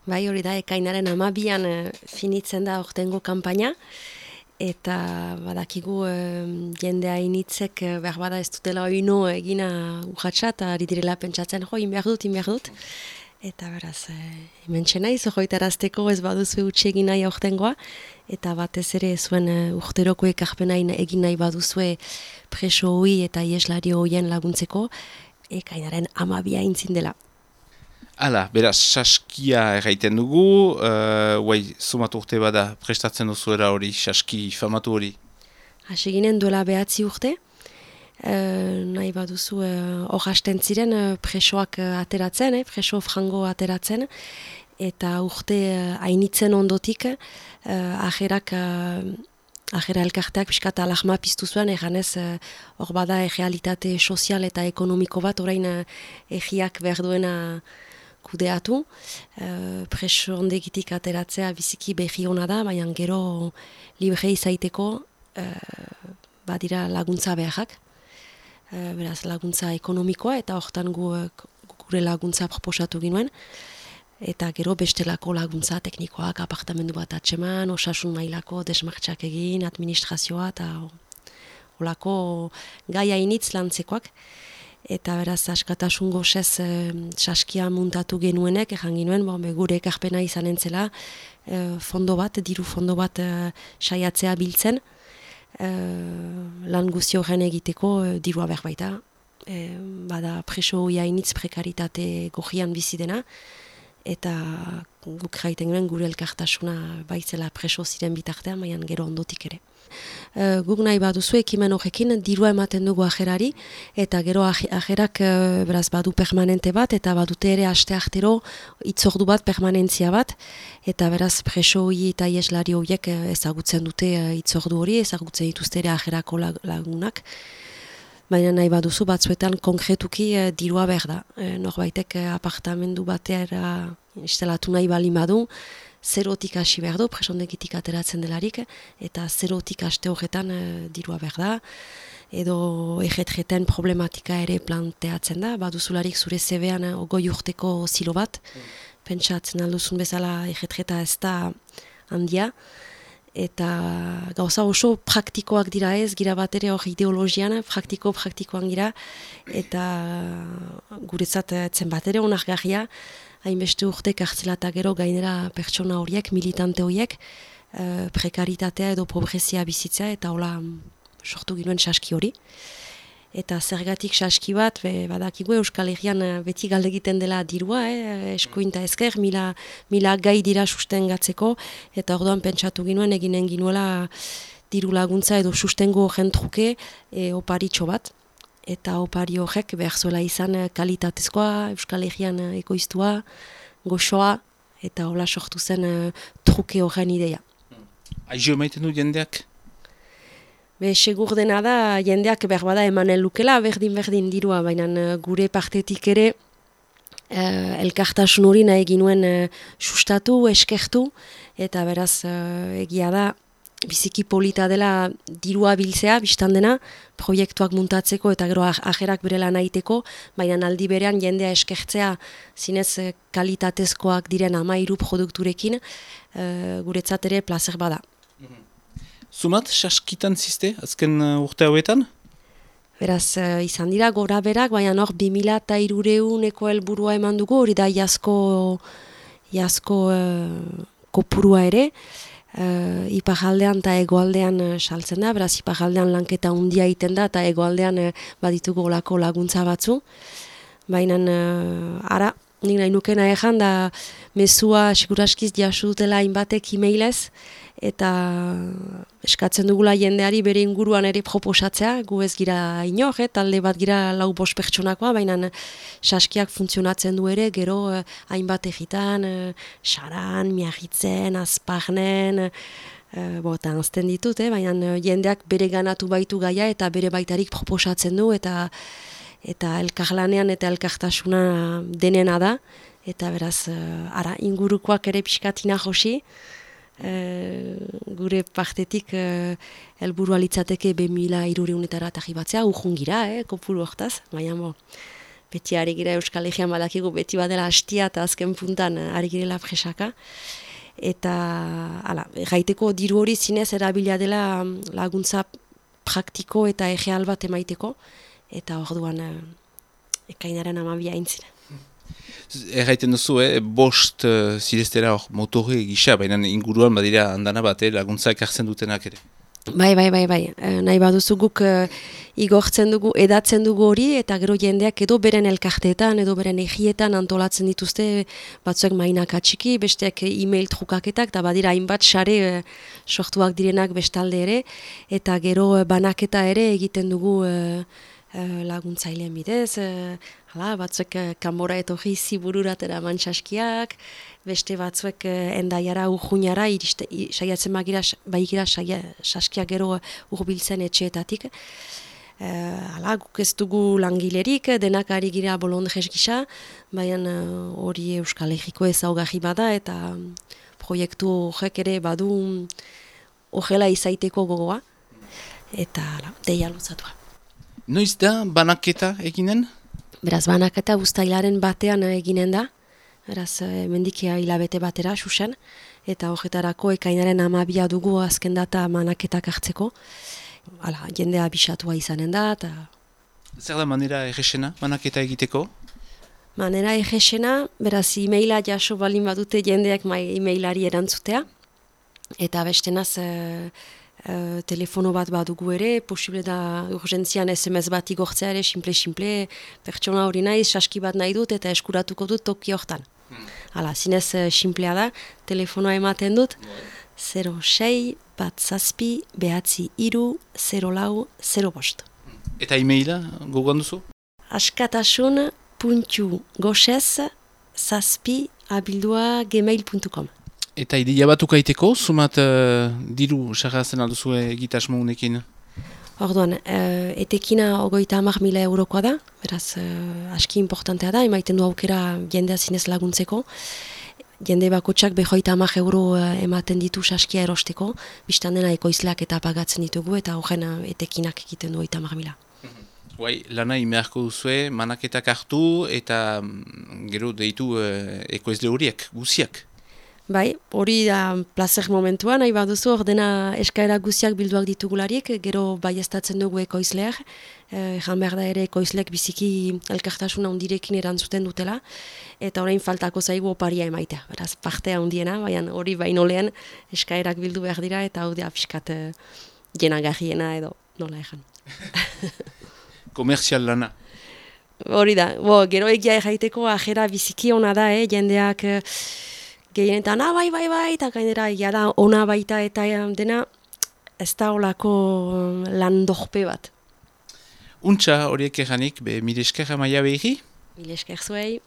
Bai, hori da, ekainaren 12an finitzen da ortengo kanpaina, eta badakigu jendea initzek behar bada ez dutela oino egina urratxa, eta ari direla pentsatzen, inbehar dut. Eta beraz, hementxe naiz, hoitarazteko ez baduzu utxe egin nahi aurtengoa, eta batez ere zuen urteroko ekarpena egin nahi baduzue preso hoi eta ieslari hoien laguntzeko, ekainaren 12 intzin dela. Hala, beraz, saskia erraiten dugu, sumatu urte bada prestatzen duzuera hori, saski famatu hori? Hasi ginen duela 9 urte, nahi baduzu hor hasten ziren presoak ateratzen, preso frango ateratzen, eta urte hainitzen ondotik ajerak Ajera elkarteak pixkat alahma piztu zuen, eganez hor bada realitate sozial eta ekonomiko bat, orain egiak behar duena kudeatu. Preso ondegitik ateratzea biziki behi hona da, baina gero libre izaiteko badira laguntza beharrak. Beraz laguntza ekonomikoa eta hortan gure laguntza proposatu ginuen. Eta gero bestelako laguntza teknikoak, apartamendu bat atseman, osasun mailako desmartxak egin, administrazioa eta olako gaia initz lantzekoak. Eta beraz askatasun gozez saskia muntatu genuenek, ejan ginuen, gure ekarpena izan entzela, diru fondo bat saiatzea biltzen, lan guzti horren egiteko dirua behar baita. Bada preso hoia initz prekaritate gojian bizi dena, eta guk jaiten guen gure elkartasuna baitzela preso ziren bitartean, baina gero ondotik ere. Guk nahi baduzu ekimen horrekin dirua ematen dugu ajerari, eta gero ajerak beraz badu permanente bat, eta badute ere asteartero itzordu bat, permanentzia bat, eta beraz preso hori eta ieslari horiek ezagutzen dute itzordu hori, ezagutzen dituzte ere ajerako lagunak. Baina nahi baduzu batzuetan konkretuki dirua behar da. Norbaitek apartamendu batera instalatu nahi bali badu, zerotik hasi behar du, presondegitik ateratzen delarik, eta zerotik haste horretan dirua behar da. Edo ejetreten problematika ere planteatzen da, baduzularik zure zebean 20 urteko zilo bat, pentsatzen alduzun bezala ejetreta ez da handia, eta gauza oso praktikoak dira ez, gira bat ere hor ideologian, praktikoan gira, eta guretzat etzen bat ere onargarria, hainbeste urte kartzela eta gero gainera pertsona horiek, militante horiek, prekaritatea edo pobrezia bizitzea, eta hola sortu ginoen saski hori. Eta zergatik saski bat, badakigu Euskal Herrian beti galdegiten dela dirua, eskuinta ezker, mila gai dira sustengatzeko, eta orduan pentsatu ginuen eginen ginuela diru laguntza edo sustengo horren truke oparitxo bat. Eta opari horrek behar zuela izan kalitatezkoa, Euskal Herrian ekoiztua, goxoa, eta hola sortu zen truke horren ideia. Aizio emaiten du jendeak? Segur dena da, jendeak behar bada emanen lukela, berdin dirua, baina gure partetik ere elkartasun hori nahi ginuen sustatu, eskertu, eta beraz egia da, biziki polita dela dirua biltzea, biztan dena, proiektuak muntatzeko eta gero ajerak bere lan egiteko, baina aldi berean jendea eskertzea zinez kalitatezkoak diren 13 produkturekin, guretzat ere plazer bada. Zumat, saskitan ziste, azken urte hauetan? Beraz, izan dira gora berak, baina hor 2300 helburua eman dugu, hori da jasko kopurua ere, iparraldean eta egoaldean saltzen da, beraz iparraldean lanketa handia egiten da, eta egoaldean baditugu olako laguntza batzu, baina ara, nik nahi nukena ejan da mezua seguraskiz jasu dutela hainbatek e-mailez, eta eskatzen dugula jendeari bere inguruan ere proposatzea, gu ez gira inor, talde bat gira 4-5 pertsonakoa, baina saskiak funtzionatzen du ere, gero hainbat egitan, Saran, Miagitzen, Azparnen, eta anzten ditut, baina jendeak bere ganatu baitu gaia eta bere baitarik proposatzen du, eta elkarlanean eta elkartasuna denena da, eta beraz, ara, ingurukoak ere pixkatina josi, gure partetik helburua litzateke 2300 arribatzea, urjungira, kopuru hortaz, baina beti ari gira Euskal Herrian badakigu beti badela hastia eta azken puntan ari girela presaka. Eta, gaiteko diru hori zinez erabila dela laguntza praktiko eta egeal bat emaiteko, eta orduan ekainaren 12 aintzina. Erraiten duzu, bost zireztera motore gisa, baina inguruan badira handana bat, laguntzak hartzen dutenak ere. Bai. Nahi baduzu guk igortzen dugu, edatzen dugu hori, eta gero jendeak edo beren elkarteetan, edo beren egietan antolatzen dituzte, batzuek mainak atxiki, besteak e-mail trukaketak, eta badira hainbat sare sortuak direnak bestalde ere, eta gero banaketa ere egiten dugu laguntzailean bidez, batzuek kanbora etorri zibururatera mantxaskiak, beste batzuek endaiara urjunara saiatzen baigira saskiak gero urbiltzen etxeetatik. Guk ez dugu langilerik, denak ari gira bolondrez gisa, baina hori Euskal Herriko ezaugarri bada eta proiektu horrek ere badu horrela izaiteko gogoa eta deia luzatua. Noiz da banaketa eginen? Beraz, banaketa uztailaren batean eginen da, beraz, mendikia hilabete batera, susen, eta horretarako ekainaren 12 dugu azken data banaketak hartzeko. Jendea bisatua izanen da, eta... Zer da manera errexena banaketa egiteko? Manera errexena, beraz, e-maila jaso balin badute jendeak e-mailari erantzutea, eta bestenaz... telefono bat badugu ere, posible da urgentzian SMS bat igortzea ere, simple, pertsona hori naiz, saski bat nahi dut eta eskuratuko dut toki hortan. Zinez simplea da, telefonoa ematen dut, 06 bat zazpi, behatzi iru, 0405. Eta e-maila gogoan duzu? askatasun.goxez zazpi@gmail.com. Eta ideia bat ukaiteko, sumat diru sarrazen alduzu egitasmo unekin? Orduan, etekina 30.000 eurokoa da, beraz aski importantea da, emaiten du aukera jendea zinez laguntzeko. Jende bakotxak 50 euro ematen ditu saskia erosteko, biztan dena ekoizleak eta pagatzen ditugu, eta horren etekinak egiten du 30.000. Lana imearko duzue, manaketak hartu eta gero deitu ekoizle horiek, guziak. Bai, hori da plazer momentua, nahi baduzu, ordena eskaera guziak bilduak ditugularik, gero baiestatzen dugu ekoizleak, jan behar da ere ekoizleak biziki elkartasuna hundirekin erantzuten dutela, eta orain faltako zaigu oparia emaitea, beraz partea hundiena, baina hori baino lehen eskaerak bildu behar dira, eta hau da pixkat jenagarriena edo nola egan. Komerzial lana. Hori da, gero egia erraiteko ajera biziki ona da, jendeak... Gehienetan, bai, eta gainera egia da, ona baita eta dena, ez da olako lan dorpe bat. Untxa horiek eranik, mire esker amaia behiri? Mire esker zuei.